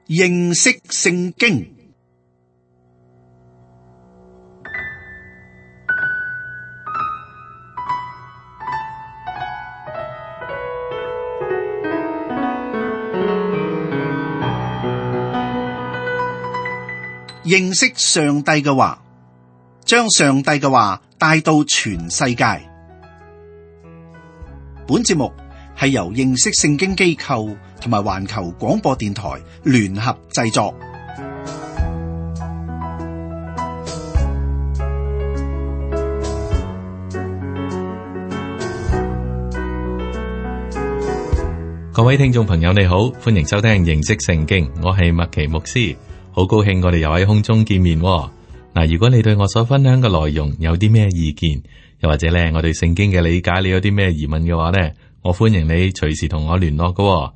認識聖經。認識上帝嘅話，將上帝嘅話帶到全世界。本節目係由認識聖經機構同埋環球廣播電台聯合製作。各位聽眾朋友，你好，歡迎收聽認識聖經，我係麥奇牧師。好高興我哋又喺空中見面喎。嗱，如果你對我所分享嘅內容有啲咩意見，又或者咧我對聖經嘅理解你有啲咩疑問嘅話咧，我歡迎你隨時同我聯絡㗎喎。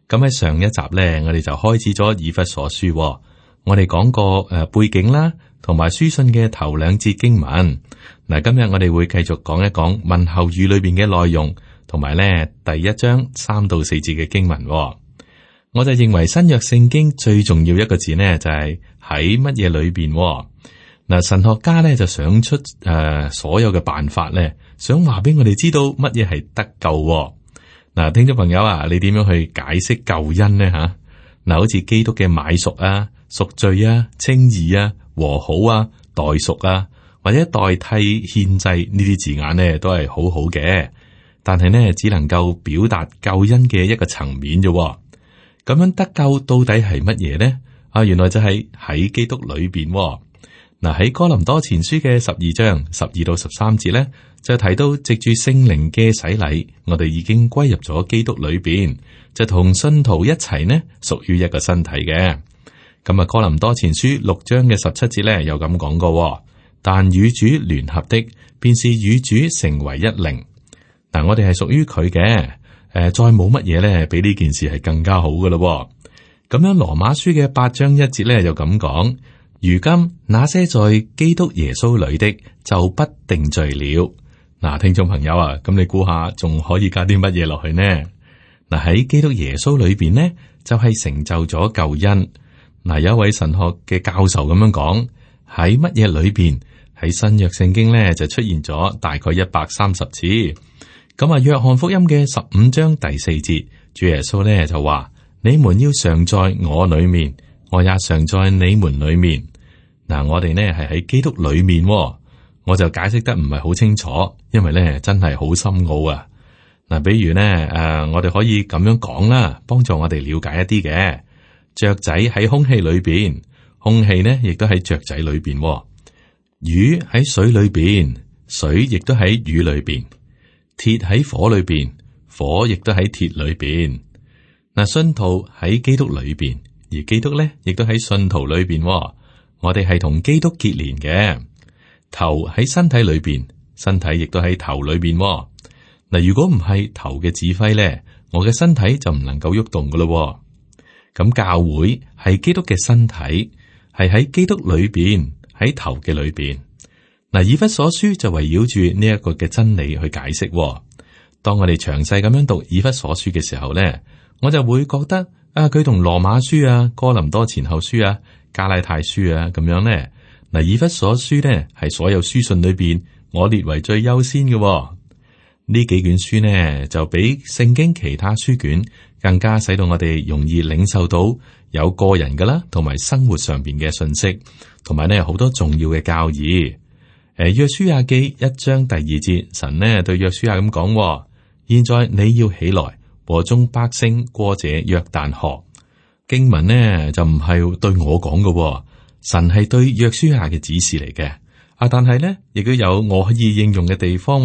咁喺上一集咧，我哋就開始咗以弗所書喎。我哋講過背景啦，同埋書信嘅頭兩節經文。嗱，今日我哋會繼續講一講問候語裏邊嘅內容，同埋咧第一章3到4節嘅經文喎。我就認為新約聖經最重要一個字呢，就係喺乜嘢裏邊。嗱，神學家咧就想出所有嘅辦法咧，想話俾我哋知道乜嘢係得救。嗱，聽眾朋友啊，你點樣去解釋救恩呢？吓，嗱，好似基督嘅買贖啊、贖罪啊、稱義啊、和好啊、代贖啊，或者代替獻祭呢啲字眼呢，都係好好嘅，但係呢，只能夠表達救恩嘅一個層面啫。咁樣得救到底係乜嘢呢？原來就係喺基督裏邊。嗱，喺哥林多前書嘅12章12到13節咧，就提到藉住聖靈嘅洗禮，我哋已經歸入咗基督裏邊，就同信徒一齊呢，屬於一個身體嘅。咁啊，哥林多前書6章嘅17節咧，有咁講過，但與主聯合的，便是與主成為一靈。嗱，我哋係屬於佢嘅。再冇乜嘢咧，比呢件事係更加好噶咯。咁樣羅馬書嘅8章1節咧，就咁講：如今那些在基督耶穌裏的，就不定罪了。嗱，聽眾朋友啊，咁你估下仲可以加啲乜嘢落去呢？嗱，喺基督耶穌裏邊呢，就係成就咗救恩。嗱，有一位神學嘅教授咁樣講：喺乜嘢裏邊？喺新約聖經咧，就出現咗大概130次。咁啊，約翰福音嘅15章第4節，主耶穌咧就話：你們要常在我裏面，我也常在你們裏面。嗱，我哋呢係喺基督裏面，我就解釋得唔係好清楚，因為咧真係好深奧啊。嗱，比如呢，我哋可以咁樣講啦，幫助我哋了解一啲嘅。雀仔喺空氣裏邊，空氣呢亦都喺雀仔裏邊。魚喺水裏邊，水亦都喺魚裏邊。鐵喺火裏邊，火亦都喺鐵裏邊。嗱，信徒喺基督裏邊，而基督咧亦都喺信徒裏邊。我哋係同基督結連嘅。頭喺身體裏邊，身體亦都喺頭裏邊。嗱，如果唔係頭嘅指揮咧，我嘅身體就唔能夠喐動噶咯。咁教會係基督嘅身體，係喺基督裏邊，喺頭嘅裏邊。嗱，以弗所書就圍繞住呢一個嘅真理去解釋。當我哋詳細咁樣讀以弗所書嘅時候咧，我就會覺得佢同羅馬書啊、哥林多前後書啊、加拉太書啊咁樣咧。嗱，以弗所書咧係所有書信裏邊我列為最優先嘅。呢幾卷書呢，就比聖經其他書卷更加使到我哋容易領受到有個人噶啦，同埋生活上邊嘅信息，同埋呢好多重要嘅教義。約書亞記1章第2節，神呢對約書亞咁講：現在你要起來，和眾百姓過這約旦河。經文呢就唔係對我講嘅，神係對約書亞嘅指示嚟嘅。但係呢亦都有我可以應用嘅地方。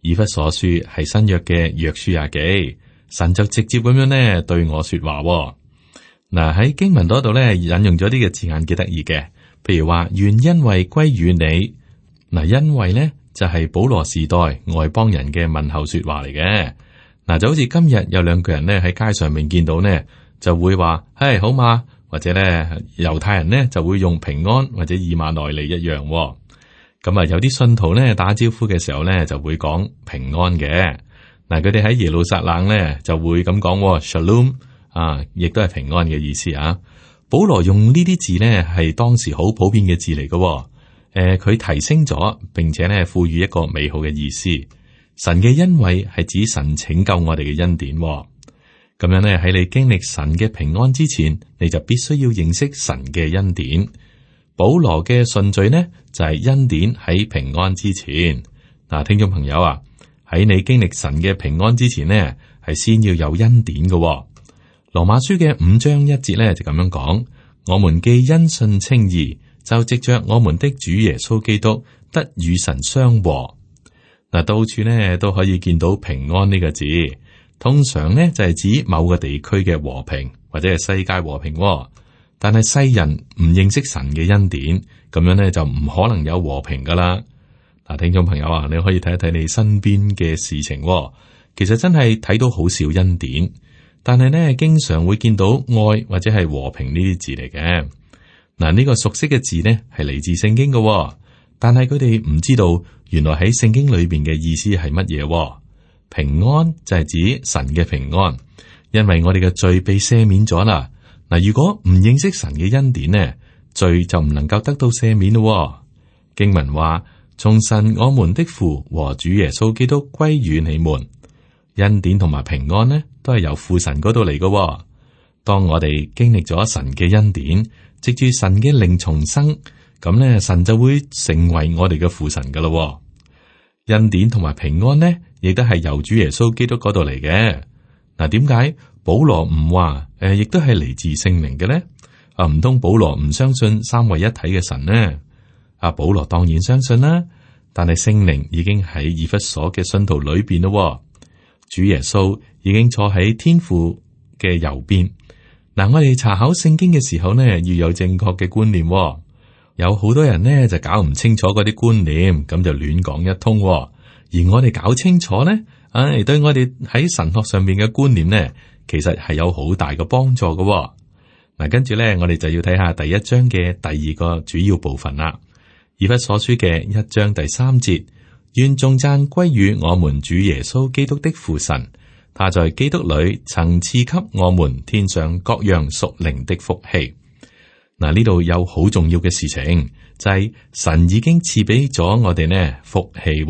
以弗所書係新約嘅約書亞記，神就直接咁樣呢對我說話。嗱，喺經文嗰度呢引用咗啲嘅字眼幾得意嘅，譬如話願恩惠歸於你。嗱，恩惠咧就係保羅時代外邦人嘅問候說話嚟嘅。嗱，就好似今日有兩個人咧喺街上面見到呢，就會話係好嘛，或者咧猶太人呢就會用平安或者以馬內利一樣。咁啊，有啲信徒咧打招呼嘅時候咧就會講平安嘅。嗱，佢哋喺耶路撒冷咧就會咁講 Shalom 亦都係平安嘅意思啊。保羅用呢啲字呢，係當時好普遍嘅字嚟嘅。佢提升咗，並且呢賦予一個美好嘅意思。神嘅恩惠係指神拯救我哋嘅恩典。咁樣呢，喺你經歷神嘅平安之前，你就必須要認識神嘅恩典。保羅嘅順序呢，就係恩典喺平安之前。嗱，聽眾朋友啊，喺你經歷神嘅平安之前呢，係先要有恩典嘅。羅馬書嘅5章1節呢，就咁樣講：我們既因信稱義，就藉着我們的主耶穌基督得與神相和。嗱，到處呢都可以見到平安呢個字，通常呢就係指某個地區嘅和平或者係世界和平。但係世人唔認識神嘅恩典，咁樣呢就唔可能有和平噶啦。嗱，聽眾朋友啊，你可以睇一睇你身邊嘅事情，其實真係睇到好少恩典，但係呢經常會見到愛或者係和平呢啲字嚟嘅。嗱，呢個熟悉嘅字呢係嚟自聖經嘅，但係佢哋唔知道原來喺聖經裏邊嘅意思係乜嘢。平安就係指神嘅平安，因為我哋嘅罪被赦免咗啦。嗱，如果唔認識神嘅恩典呢，罪就唔能夠得到赦免咯。經文話：從神我們的父和主耶穌基督歸與你們。恩典同埋平安呢，都係由父神嗰度嚟嘅。當我哋經歷咗神嘅恩典，藉住神嘅靈重生，咁呢，神就會成為我哋嘅父神噶咯。恩典同埋平安呢，亦都係由主耶穌基督嗰度嚟嘅。嗱，點解保羅唔話亦都係嚟自聖靈嘅呢？唔通保羅唔相信三位一體嘅神呢？保羅當然相信啦，但係聖靈已經喺以弗所嘅信徒裏邊咯。主耶穌已經坐喺天父嘅右邊。嗱，我哋查考聖經嘅時候呢，要有正確嘅觀念。有好多人呢就搞唔清楚嗰啲觀念，咁就亂講一通。而我哋搞清楚呢，對我哋喺神學上面嘅觀念呢，其實係有好大嘅幫助嘅。嗱，跟住呢，我哋就要睇下第1章嘅第2個主要部分啦。以弗所書嘅1章第3節，願頌讚歸於我們主耶穌基督的父神，他在基督裏曾賜給我們天上各樣屬靈的福氣。嗱，呢度有好重要嘅事情，就係神已經賜俾咗我哋呢福氣。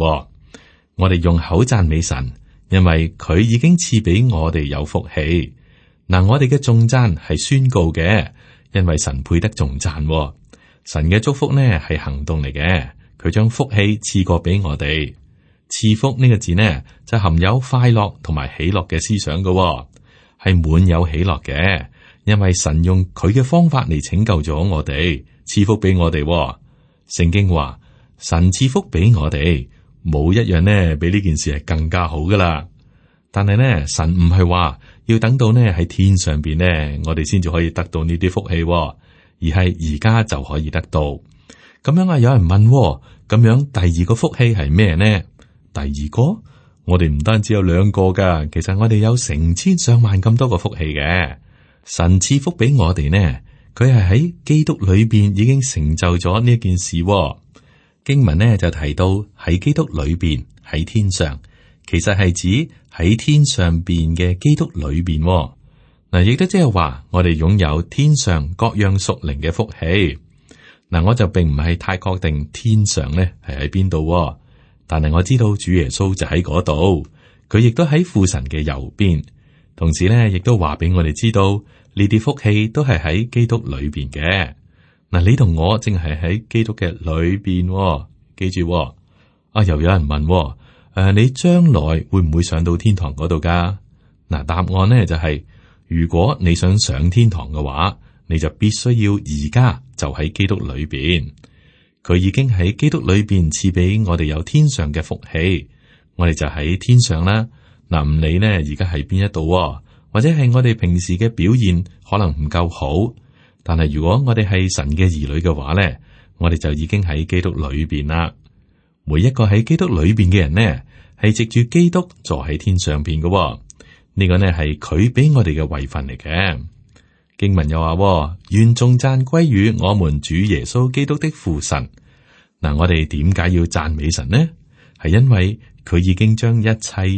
我哋用口讚美神，因為佢已經賜俾我哋有福氣。嗱，我哋嘅頌讚係宣告嘅，因為神配得頌讚。神嘅祝福呢係行動嚟嘅，佢將福氣賜過俾我哋。賜福呢個字呢就含有快樂同埋喜樂嘅思想嘅，係滿有喜樂嘅，因為神用佢嘅方法嚟拯救咗我哋，賜福俾我哋。聖經話神賜福俾我哋，冇一樣呢比呢件事係更加好噶啦。但係呢，神唔係話要等到呢喺天上邊呢，我哋先至可以得到呢啲福氣，而係而家就可以得到。咁樣啊，有人問，咁樣第2個福氣係咩呢？第2個，我哋唔單止有2個噶，其實我哋有成千上萬咁多個福氣嘅。神賜福俾我哋呢，佢係喺基督裏邊已經成就咗呢件事。經文呢就提到喺基督裏邊喺天上，其實係指喺天上邊嘅基督裏邊。嗱，亦都即係話我哋擁有天上各樣屬靈嘅福氣。嗱，我就並唔係太確定天上呢係喺邊度，但係我知道主耶穌就喺嗰度，佢亦都喺父神嘅右邊。同時呢，亦都話俾我哋知道呢啲福氣都係喺基督裏邊嘅。嗱，你同我正係喺基督嘅裏邊，記住。又有人問，你將來會唔會上到天堂嗰度噶？嗱，答案呢就係，如果你想上天堂嘅話，你就必須要而家就喺基督裏邊。佢已經喺基督裏邊賜俾我哋有天上嘅福氣，我哋就喺天上啦。嗱，唔理呢而家喺邊一度，或者係我哋平時嘅表現可能唔夠好，但係如果我哋係神嘅兒女嘅話呢，我哋就已經喺基督裏邊啦。每一個喺基督裏邊嘅人呢，係藉住基督坐喺天上邊嘅。呢個呢係佢俾我哋嘅位份嚟嘅。經文又話，願頌讚歸於我們主耶穌基督的父神。嗱，我哋點解要讚美神呢？係因為佢已經將一切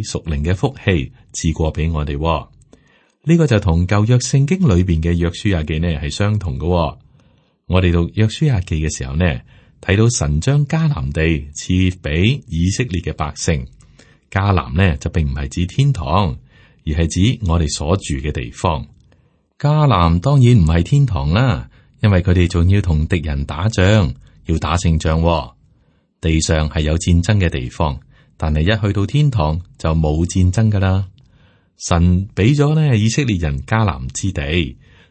屬靈嘅福氣賜過俾我哋。呢個就同舊約聖經裏邊嘅約書亞記呢係相同嘅。我哋讀約書亞記嘅時候呢，睇到神將迦南地賜俾以色列嘅百姓。迦南呢就並唔係指天堂，而係指我哋所住嘅地方。迦南當然唔係天堂啦，因為佢哋仲要同敵人打仗，要打勝仗。地上係有戰爭嘅地方，但係一去到天堂就冇戰爭噶啦。神俾咗呢以色列人迦南之地，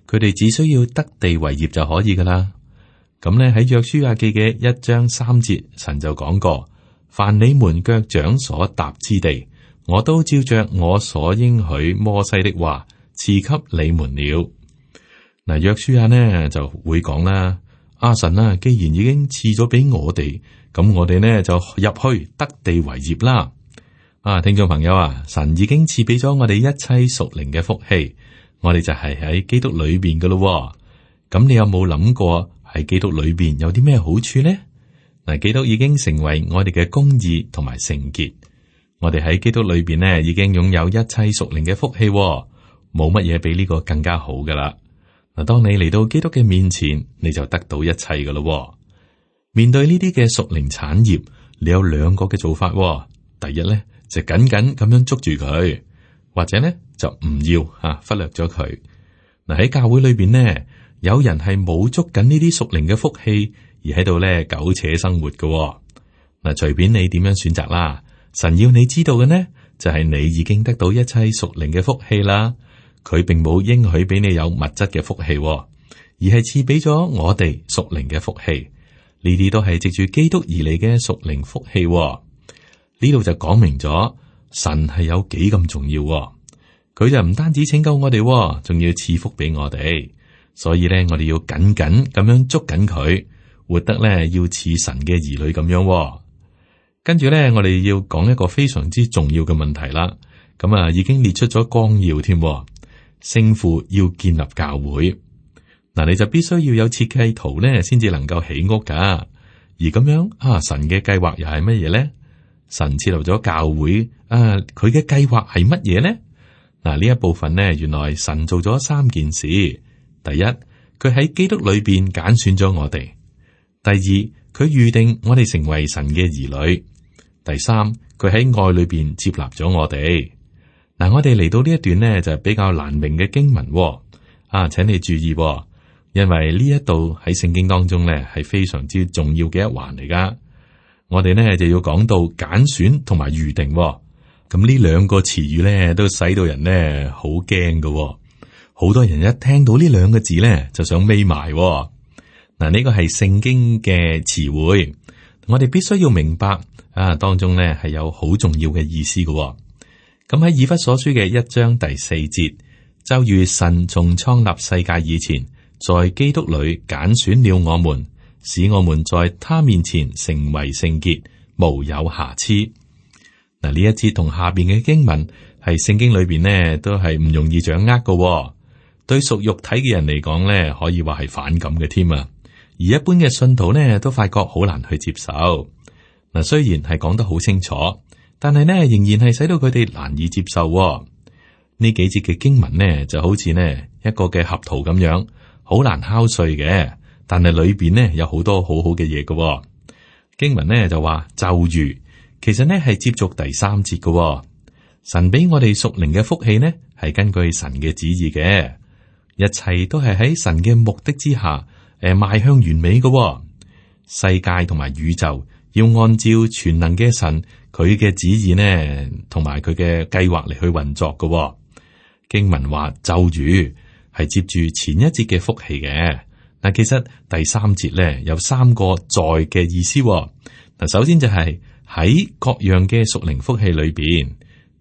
佢哋只需要得地為業就可以噶啦。咁呢喺約書亞記嘅1章3節，神就講過：凡你們腳掌所踏之地，我都照着我所應許摩西的話賜給你們了。嗱，約書亞呢就會講啦：神啊，既然已經賜咗俾我哋，咁我哋呢就入去得地為業啦。聽眾朋友啊，神已經賜俾咗我哋一切屬靈嘅福氣，我哋就係喺基督裏邊嘅咯。咁你有冇諗過喺基督裏邊有啲咩好處呢？嗱，基督已經成為我哋嘅公義同埋聖潔，我哋喺基督裏邊呢已經擁有一切屬靈嘅福氣，冇乜嘢比呢個更加好噶啦。嗱，當你嚟到基督嘅面前，你就得到一切噶咯。面對呢啲嘅屬靈產業，你有兩個嘅做法。第一咧，就緊緊咁樣捉住佢，或者咧就唔要忽略咗佢。嗱，喺教會裏邊呢，有人係冇捉緊呢啲屬靈嘅福氣，而喺度咧苟且生活嘅。嗱，隨便你點樣選擇啦。神要你知道嘅呢，就係你已經得到一切屬靈嘅福氣啦。佢並冇應許俾你有物質嘅福氣，而係賜俾咗我哋屬靈嘅福氣。呢啲都係藉住基督而嚟嘅屬靈福氣。呢度就講明咗神係有幾咁重要。佢就唔單止拯救我哋，仲要賜福俾我哋。所以咧，我哋要緊緊咁樣捉緊佢，活得咧要似神嘅兒女咁樣。跟住咧，我哋要講一個非常之重要嘅問題啦。咁已經列出咗綱要添。聖父要建立教會，嗱，你就必須要有設計圖咧，先至能夠起屋噶。而咁樣神嘅計劃又係乜嘢咧？神設立咗教會，佢嘅計劃係乜嘢咧？嗱，呢一部分呢，原來神做咗3件事。第一，佢喺基督裏邊揀選咗我哋；第二，佢預定我哋成為神嘅兒女；第三，佢喺愛裏邊接納咗我哋。嗱，我哋嚟到呢一段呢，就係比較難明嘅經文。請你注意，因為呢一度喺聖經當中呢，係非常之重要嘅一環嚟噶。我哋呢就要講到揀選同埋預定。咁呢兩個詞語呢，都使到人呢好驚噶。好多人一聽到呢兩個字呢，就想眯埋。嗱，呢個係聖經嘅詞彙，我哋必須要明白當中呢係有好重要嘅意思噶。咁喺以弗所書嘅1章第4節，就如神從創立世界以前，在基督裏揀選了我們，使我們在他面前成為聖潔，無有瑕疵。嗱，呢一節同下邊嘅經文係聖經裏邊呢都係唔容易掌握嘅。對屬肉體嘅人嚟講呢，可以話係反感嘅添啊。而一般嘅信徒呢，都發覺好難去接受。嗱，雖然係講得好清楚，但係呢，仍然係使到佢哋難以接受。呢幾節嘅經文呢，就好似呢一個嘅合桃咁樣，好難敲碎嘅。但係裏邊呢，有好多好好嘅嘢嘅。經文呢就話就如，其實呢係接續第3節嘅。神俾我哋屬靈嘅福氣呢，係根據神嘅旨意嘅，一切都係喺神嘅目的之下，邁向完美嘅。世界同埋宇宙要按照全能嘅神佢嘅旨意呢，同埋佢嘅計劃嚟去運作嘅。經文話就如係接住前一節嘅福氣嘅。嗱，其實第3節咧有3個在嘅意思。嗱，首先就係喺各樣嘅屬靈福氣裏邊，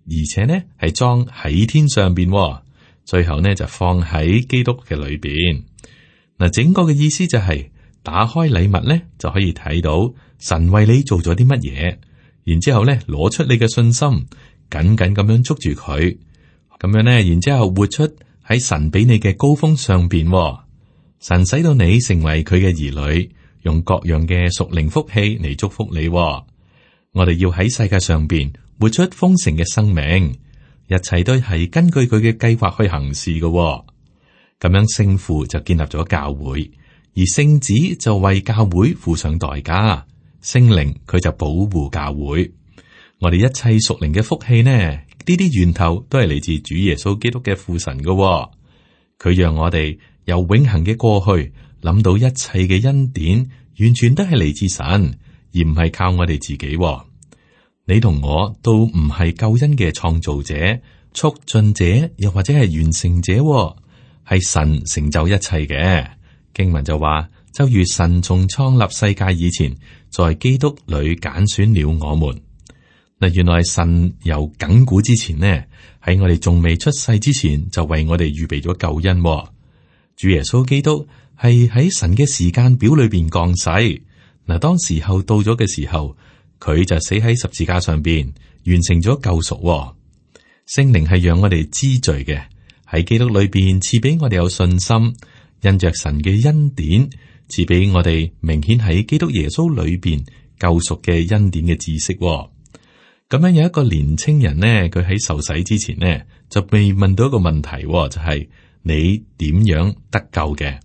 而且呢係裝喺天上邊，最後呢就放喺基督嘅裏邊。嗱，整個嘅意思就係打開禮物咧就可以睇到神為你做咗啲乜嘢，然之後咧攞出你嘅信心，緊緊咁樣捉住佢，咁樣咧，然之後活出喺神俾你嘅高峰上邊。神使到你成為佢嘅兒女，用各樣嘅屬靈福氣嚟祝福你。我哋要喺世界上邊活出豐盛嘅生命，一切都係根據佢嘅計劃去行事嘅。咁樣聖父就建立咗教會，而聖子就為教會付上代價，聖靈佢就保護教會。我哋一切屬靈嘅福氣呢，呢啲源頭都係嚟自主耶穌基督嘅父神嘅。佢讓我哋由永恆嘅過去諗到一切嘅恩典，完全都係嚟自神，而唔係靠我哋自己。你同我都唔係救恩嘅創造者、促進者，又或者係完成者，係神成就一切嘅。經文就話，就如神從創立世界以前，在基督裏揀選了我們。嗱，原來神由亙古之前呢，喺我哋仲未出世之前，就為我哋預備咗救恩。主耶穌基督係喺神嘅時間表裏邊降世。嗱，當時候到咗嘅時候，佢就死喺十字架上邊，完成咗救贖。聖靈係讓我哋知罪嘅，喺基督裏邊賜俾我哋有信心，因着神嘅恩典，賜俾我哋明顯喺基督耶穌裏邊救贖嘅恩典嘅知識。咁樣有一個年青人呢，佢喺受洗之前呢，就被問到一個問題，就係你點樣得救嘅？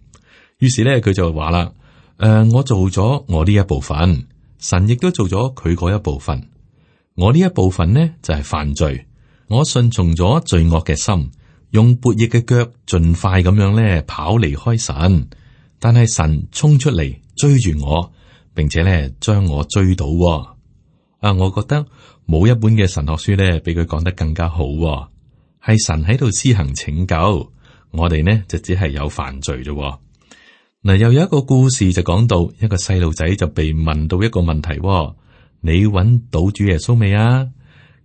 於是咧，佢就話啦：我做咗我呢一部分。神亦都做咗佢嗰一部分，我呢一部分呢就係犯罪，我順從咗罪惡嘅心，用悖逆嘅腳盡快咁樣咧跑離開神，但係神衝出嚟追住我，並且咧將我追到。我覺得冇一本嘅神學書咧比佢講得更加好，係神喺度施行拯救，我哋呢就只係有犯罪啫。嗱，又有一個故事就講到一個細路仔就被問到一個問題，你揾到主耶穌未啊？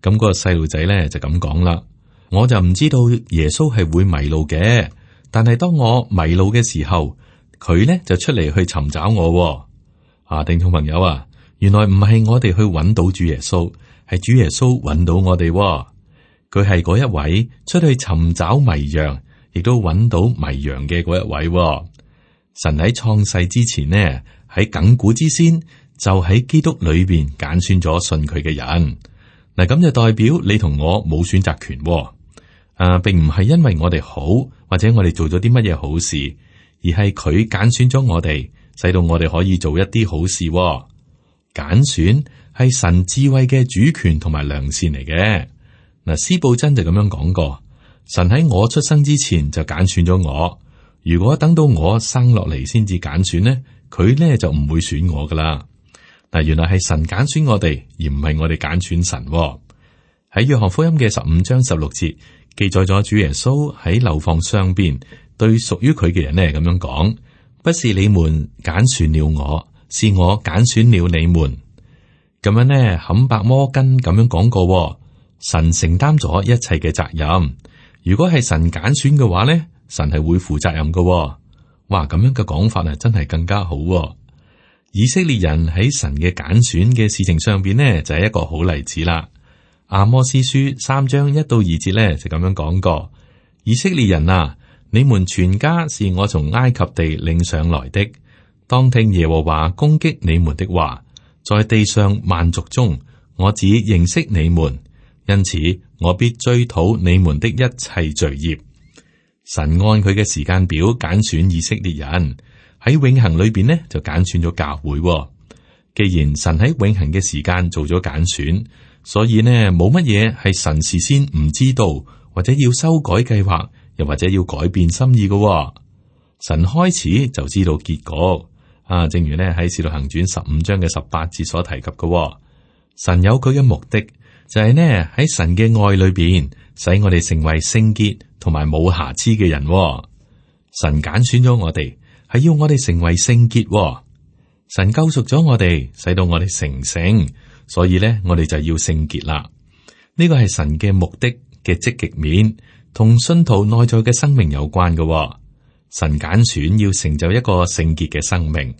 咁嗰個細路仔咧就咁講啦，我就唔知道耶穌係會迷路嘅，但係當我迷路嘅時候，佢咧就出嚟去尋找我。聽眾朋友啊，原來唔係我哋去揾到主耶穌，係主耶穌揾到我哋。佢係嗰一位出去尋找迷羊，亦都揾到迷羊嘅嗰一位。神喺創世之前呢，喺亙古之先就喺基督裏邊揀選咗信佢嘅人。嗱，咁就代表你同我冇選擇權。並唔係因為我哋好或者我哋做咗啲乜嘢好事，而係佢揀選咗我哋，使到我哋可以做一啲好事。揀選係神智慧嘅主權同埋良善嚟嘅。嗱，司布真就咁樣講過，神喺我出生之前就揀選咗我。如果等到我生落嚟先至揀選呢，佢呢就唔會選我噶啦。嗱，原來係神揀選我哋，而唔係我哋揀選神。喺約翰福音嘅15章16節記載咗主耶穌喺樓房上邊對屬於佢嘅人呢咁樣講：不是你們揀選了我，是我揀選了你們。咁樣呢，坎伯摩根咁樣講過，神承擔咗一切嘅責任。如果係神揀選嘅話呢，神係會負責任嘅。哇，咁樣嘅講法啊，真係更加好。以色列人喺神嘅揀選嘅事情上邊呢，就係一個好例子啦。阿摩司書3章1到2節咧就咁樣講過：以色列人啊，你們全家是我從埃及地領上來的，當聽耶和華攻擊你們的話，在地上萬族中，我只認識你們，因此我必追討你們的一切罪孽。神按佢嘅時間表揀選以色列人，喺永恆裏邊呢就揀選咗教會。既然神喺永恆嘅時間做咗揀選，所以呢冇乜嘢係神事先唔知道，或者要修改計劃，又或者要改變心意嘅。神開始就知道結果。正如呢喺使徒行傳15章嘅18節所提及嘅，神有佢嘅目的，就係呢喺神嘅愛裏邊，使我哋成為聖潔同埋冇瑕疵嘅人。神揀選咗我哋，係要我哋成為聖潔。神救贖咗我哋，使到我哋成聖，所以咧我哋就要聖潔啦。呢個係神嘅目的嘅積極面，同信徒內在嘅生命有關嘅。神揀選要成就一個聖潔嘅生命。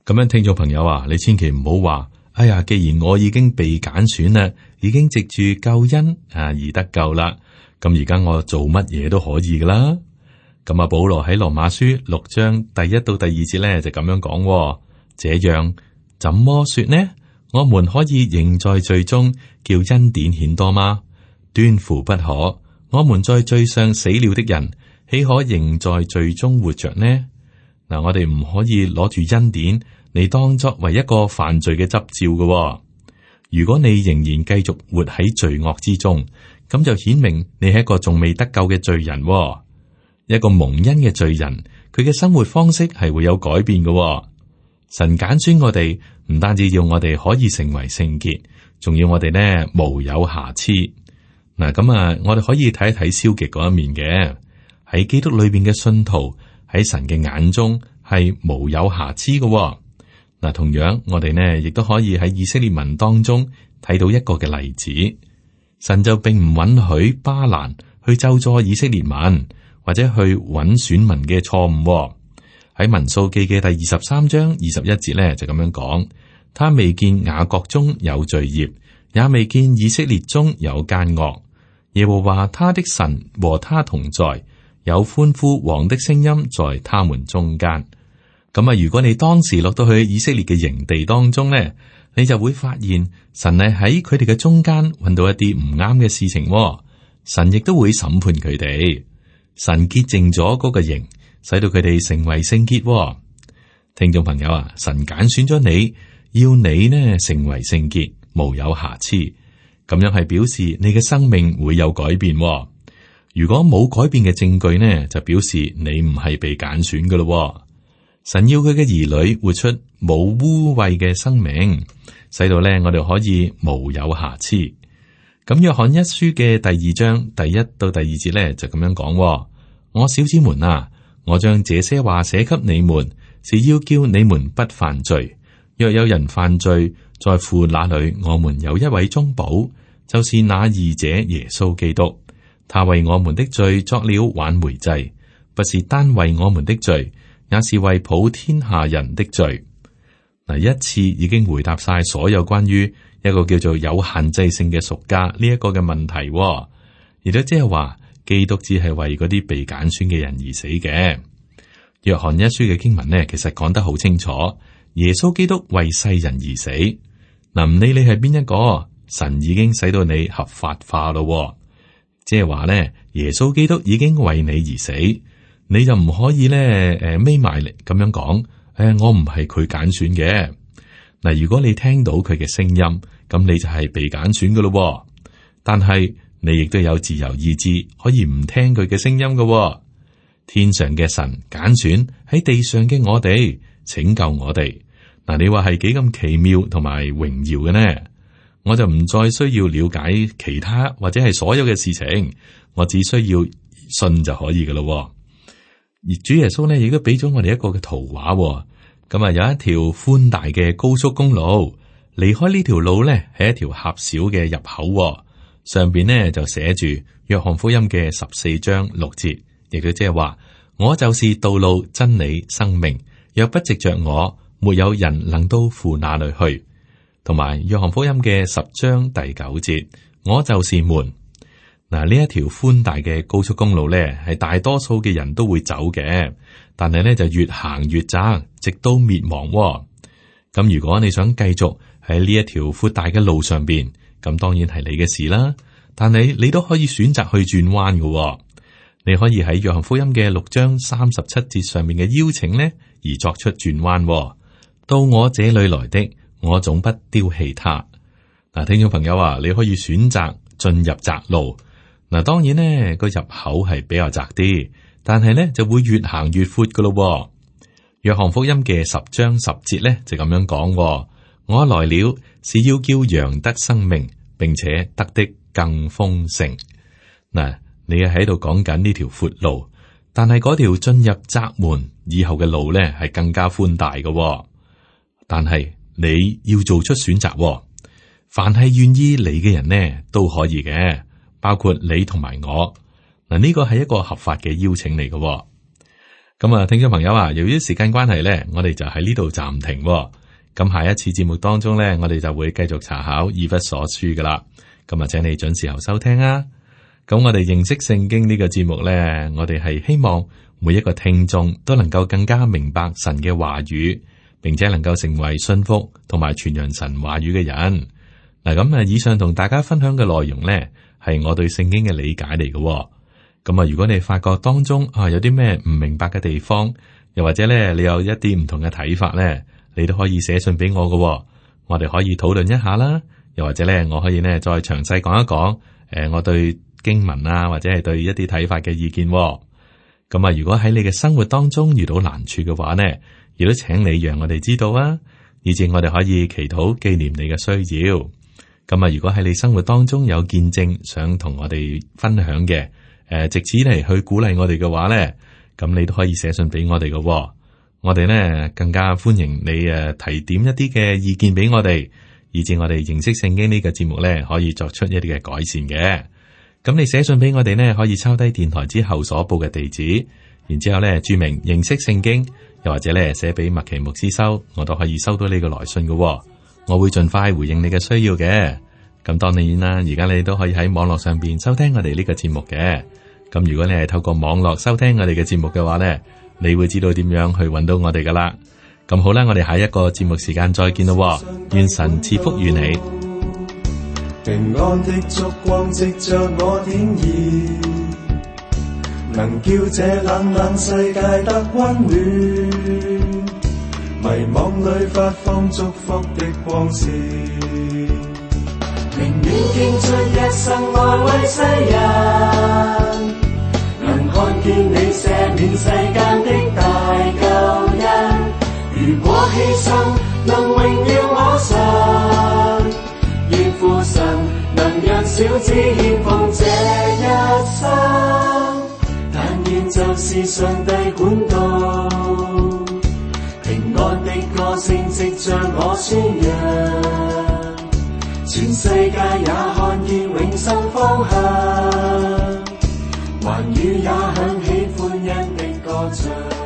咁樣，聽眾朋友啊，你千祈唔好話，哎呀，既然我已經被揀選啦，已經藉住救恩而得救啦，咁而家我做乜嘢都可以噶啦。咁保羅喺羅馬書6章第1到第2節咧就咁樣講，這樣怎麼說呢？我們可以仍在罪中，叫恩典顯多嗎？斷乎不可。我們在罪上死了的人，豈可仍在罪中活着呢？嗱，我哋唔可以攞住恩典嚟當作為一個犯罪嘅執照嘅。如果你仍然繼續活喺罪惡之中，咁就顯明你係一個仲未得救嘅罪人。一個蒙恩嘅罪人，佢嘅生活方式係會有改變嘅。神揀選我哋，唔單止要我哋可以成為聖潔，仲要我哋呢無有瑕疵。嗱，咁我哋可以睇一睇消極嗰一面嘅。喺基督裏邊嘅信徒喺神嘅眼中係無有瑕疵嘅。嗱，同樣我哋呢亦都可以喺以色列民當中睇到一個嘅例子。神就並唔允許巴蘭去咒詛以色列民，或者去揾選民嘅錯誤。喺民數記嘅第23章21節呢，就咁樣講：他未見雅各中有罪孽，也未見以色列中有奸惡。耶和華他的神和他同在，有歡呼王的聲音在他們中間。咁如果你當時落到去以色列嘅營地當中呢，你就會發現神係喺佢哋嘅中間揾到一啲唔啱嘅事情。神亦都會審判佢哋。神潔淨咗嗰個營，使到佢哋成為聖潔。聽眾朋友啊，神揀選咗你，要你呢成為聖潔，無有瑕疵。咁樣係表示你嘅生命會有改變。如果冇改變嘅證據呢，就表示你唔係被揀選噶咯。神要佢嘅兒女活出冇污穢嘅生命，使到咧我哋可以無有瑕疵。咁約翰一書嘅第2章第1到第2節咧就咁樣講：我小子們啊，我將這些話寫給你們，是要叫你們不犯罪。若有人犯罪，在父那裏我們有一位中保，就是那義者耶穌基督。他為我們的罪作了挽回祭，不是單為我們的罪，也是為普天下人的罪。嗱，一次已經回答晒所有關於一個叫做有限制性嘅贖價呢一個嘅問題，亦都即係話基督只係為嗰啲被揀選嘅人而死嘅。約翰一書嘅經文呢，其實講得好清楚，耶穌基督為世人而死。嗱，唔理你係邊一個，神已經使到你合法化咯，即係話呢，耶穌基督已經為你而死，你就唔可以咧眯埋嚟咁樣講，我唔係佢揀選嘅。嗱，如果你聽到佢嘅聲音，咁你就係被揀選噶咯。但係你亦都有自由意志，可以唔聽佢嘅聲音噶。天上嘅神揀選喺地上嘅我哋，拯救我哋。嗱，你話係幾咁奇妙同埋榮耀嘅呢？我就唔再需要了解其他或者係所有嘅事情，我只需要信就可以噶咯。而主耶穌呢，亦都俾咗我哋一個嘅圖畫。咁有一條寬大嘅高速公路，離開呢條路呢，係一條狹小嘅入口，上邊呢就寫住約翰福音嘅14章6節，亦都即係話，我就是道路、真理、生命，若不藉着我，沒有人能到父那裏去。同埋約翰福音嘅10章第9節，我就是門。嗱，呢一條寬大嘅高速公路咧，係大多數嘅人都會走嘅，但係咧就越行越窄，直到滅亡。咁如果你想繼續喺呢一條闊大嘅路上邊，咁當然係你嘅事啦。但係你都可以選擇去轉彎嘅。你可以喺約翰福音嘅6章37節上面嘅邀請呢，而作出轉彎。到我這裏來的，我總不丟棄他。嗱，聽眾朋友啊，你可以選擇進入窄路。嗱，當然呢個入口係比較窄啲，但係呢就會越行越闊噶咯。約翰福音嘅10章10節呢就咁樣講：我來了是要叫羊得生命，並且得的更豐盛。嗱，你喺度講緊呢條闊路，但係嗰條進入窄門以後嘅路呢係更加寬大嘅。但係你要做出選擇，凡係願意嚟嘅人呢都可以嘅。包括你同埋我，嗱，呢個係一個合法嘅邀請嚟嘅。咁聽眾朋友啊，由於時間關係咧，我哋就喺呢度暫停。咁下一次節目當中咧，我哋就會繼續查考以弗所書噶啦。咁請你準時候收聽啊。咁我哋認識聖經呢個節目咧，我哋係希望每一個聽眾都能夠更加明白神嘅話語，並且能夠成為信服同埋傳揚神話語嘅人。嗱，咁以上同大家分享嘅內容咧，係我對聖經嘅理解嚟嘅。咁啊，如果你發覺當中有啲咩唔明白嘅地方，又或者咧你有一啲唔同嘅睇法咧，你都可以寫信俾我嘅。我哋可以討論一下啦。又或者咧，我可以咧再詳細講一講，我對經文啊，或者係對一啲睇法嘅意見。咁啊，如果喺你嘅生活當中遇到難處嘅話呢，亦都請你讓我哋知道啊，以至我哋可以祈禱紀念你嘅需要。咁啊，如果喺你生活當中有見證想同我哋分享嘅，藉此嚟去鼓勵我哋嘅話呢，咁你都可以寫信俾我哋嘅。我哋呢更加歡迎你提點一啲嘅意見俾我哋。以至我哋認識聖經呢個節目咧，可以作出一啲嘅改善嘅。咁你寫信俾我哋呢，可以抄低電台之後所報嘅地址，然之後咧注明認識聖經，又或者咧寫俾麥奇牧師收，我都可以收到呢個來信嘅。我會盡快回應你嘅需要嘅。咁當然啦，而家你都可以喺網絡上邊收聽我哋呢個節目嘅。咁如果你係透過網絡收聽我哋嘅節目嘅話呢，你會知道點樣去揾到我哋噶啦。咁好啦，我哋下一個節目時間再見咯，願神賜福與你。平安的燭光藉着我點燃，能叫這冷冷世界得溫暖，迷惘裡發放祝福的光線，寧願獻出一生愛為世人，能看見你赦免世間的大救恩。如果犧牲能榮耀我神，願父神能讓小子獻奉這一生，但願就是上帝管道，平安的歌聲藉着我宣揚，全世界也看見永生方向，寰宇也響起歡欣的歌唱。